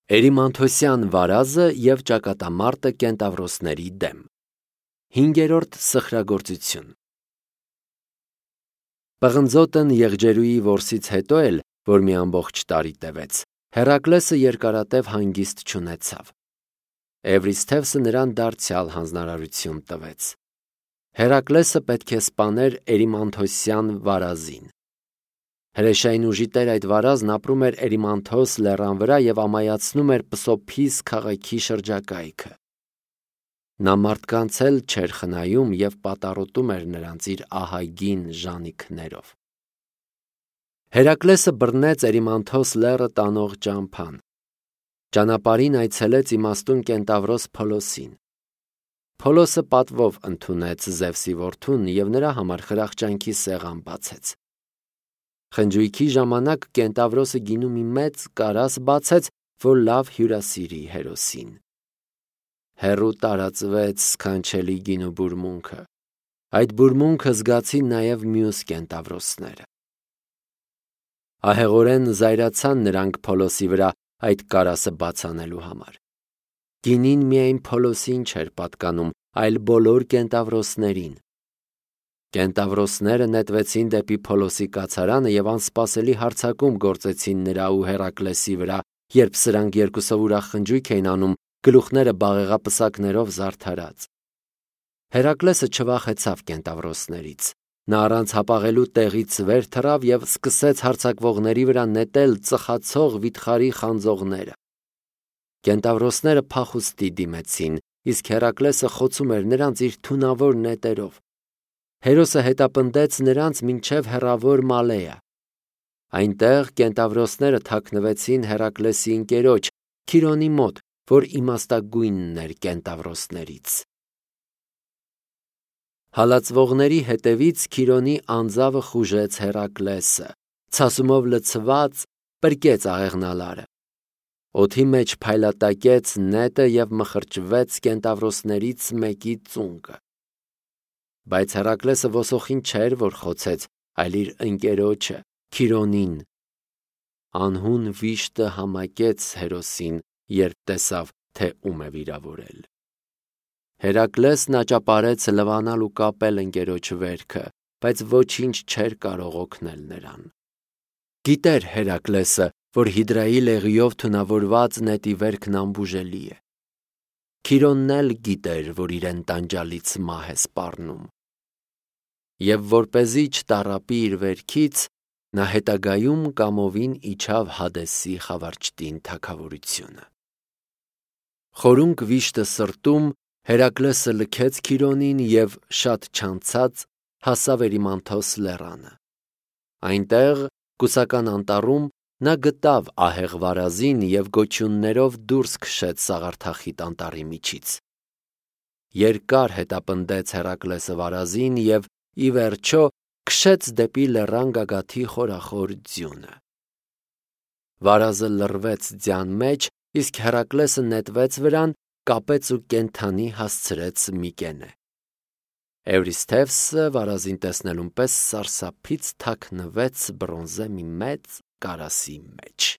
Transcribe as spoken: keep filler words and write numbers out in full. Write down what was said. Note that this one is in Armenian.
Էրիմանթոսյան վարազը և ճակատամարտը կենտավրոսների դեմ։ Հինգերորդ սխրագործություն։ Պղնձոտն եղջերուի որսից հետո էլ, որ մի ամբողջ տարի տևեց, Հերակլեսը երկարատև հանգիստ չունեցավ։ Էվրիսթևսը նրան դարձյալ հանձնարարություն տվեց։ Հերակլեսը պետք է սպաներ Էրիմանթոսյան վարազին։ Հրեշային ուժի տեր այդ վարազն ապրում էր Էրիմանթոս լեռան վրա և ամայացնում էր Պսոփիս քաղաքի շրջակայքը։ Նա մարդկանց էլ չէր խնայում և պատառոտում էր նրանց իր ահագին ժանիքներով։ Հերակլեսը բռնեց Էրիմանթոս լեռը տանող ճամփան։ Ճանապարհին այցելեց իմաստուն կենտավրոս Փոլոսին։ Փոլոսը պատվով ընդունեց Զևսի որդուն և նրա համար խրախճանքի սեղան բացեց։ Խնջույքի ժամանակ կենտավրոսը գինու մի մեծ կարաս բացեց, որ լավ հյուրասիրի հերոսին։ Հեռու տարածվեց սքանչելի գինու բուրմունքը։ Այդ բուրմունքը զգացին նաև մյուս կենտավրոսները։ Ահեղորեն զայրացան նրանք Փոլոսի վրա այդ կարասը բաց անելու համար։ Գինին միայն Փոլոսին չէր պատկանում, այլ բոլոր կենտավրոսներին։ Կենտավրոսները նետվեցին դեպի Փոլոսի կացարանը և անսպասելի հարձակում գործեցին նրա ու Հերակլեսի վրա, երբ սրանք երկուսով ուրախ խնջույք էին անում, գլուխները բաղեղապսակներով զարդարած։ Հերակլեսը չվախեցավ կենտավրոսներից։ Նա առանց հապաղելու տեղից վեր թռավ և սկսեց հարձակվողների վրա նետել ծխացող վիթխարի խանձողները։ Կենտավրոսները փախուստի դիմեցին, իսկ Հերակլեսը խոցում էր նրանց իր թունավոր նետերով։ Հերոսը հետապնդեց նրանց մինչև հեռավոր Մալեա։ Այնտեղ կենտավրոսները թաքնվեցին Հերակլեսի ընկերոջ Քիրոնի մոտ, որ իմաստագույնն էր կենտավրոսներից։ Հալածվողների հետևից Քիրոնի անձավը խուժեց Հերակլեսը, ցասումով լցված պրկեց աղեղնալարը։ Օդի մեջ փայլատակեց նետը և մխրճվեց կենտավրոսներից մեկի ծունկը։ Բայց Հերակլեսը ոսոխին չէր, որ խոցեց, այլ իր ընկերոջը Քիրոնին։ Անհուն վիշտը համակեց հերոսին, երբ տեսավ, թե ում է վիրավորել։ Հերակլեսն աճապարեց լվանալ ու կապել ընկերոջ վերքը, բայց ոչինչ չէր կարող օգնել նրան։ Գիտեր Հերակլեսը, որ հիդրայի լեղիով թունավորված նետի վերքն անբուժելի է։ Քիրոնն էլ գիտեր, որ իրեն տանջալից մահ է սպառնում։ Եվ որպեսզի չտառապի իր վերքից, նա հետագայում կամովին իջավ Հադեսի խավարճտին թագավորությունը։ Խորունկ վիշտը սրտում Հերակլեսը լքեց Քիրոնին և շատ չանցած հասավ Էրիմանթոս լեռանը։ Այնտեղ, կուսական անտառում, նա գտավ ահեղ վարազին և գոչյուններով դուրս քշեց սաղարթախիտ անտառի միջից։ Երկար հետապնդեց Հերակլեսը վարազին և, ի վերջո, քշեց դեպի լեռան գագաթի խորախոր ձյունը։ Վարազը լռվեց ձյան մեջ, իսկ Հերակլեսը նետվեց վրան, կապեց ու կենդանի հասցրեց Միկենե։ Էվրիսթևսը վարազին տեսնելուն պես սարսափից թաքնվեց բրոնզե մի մեծ կարասի մեջ։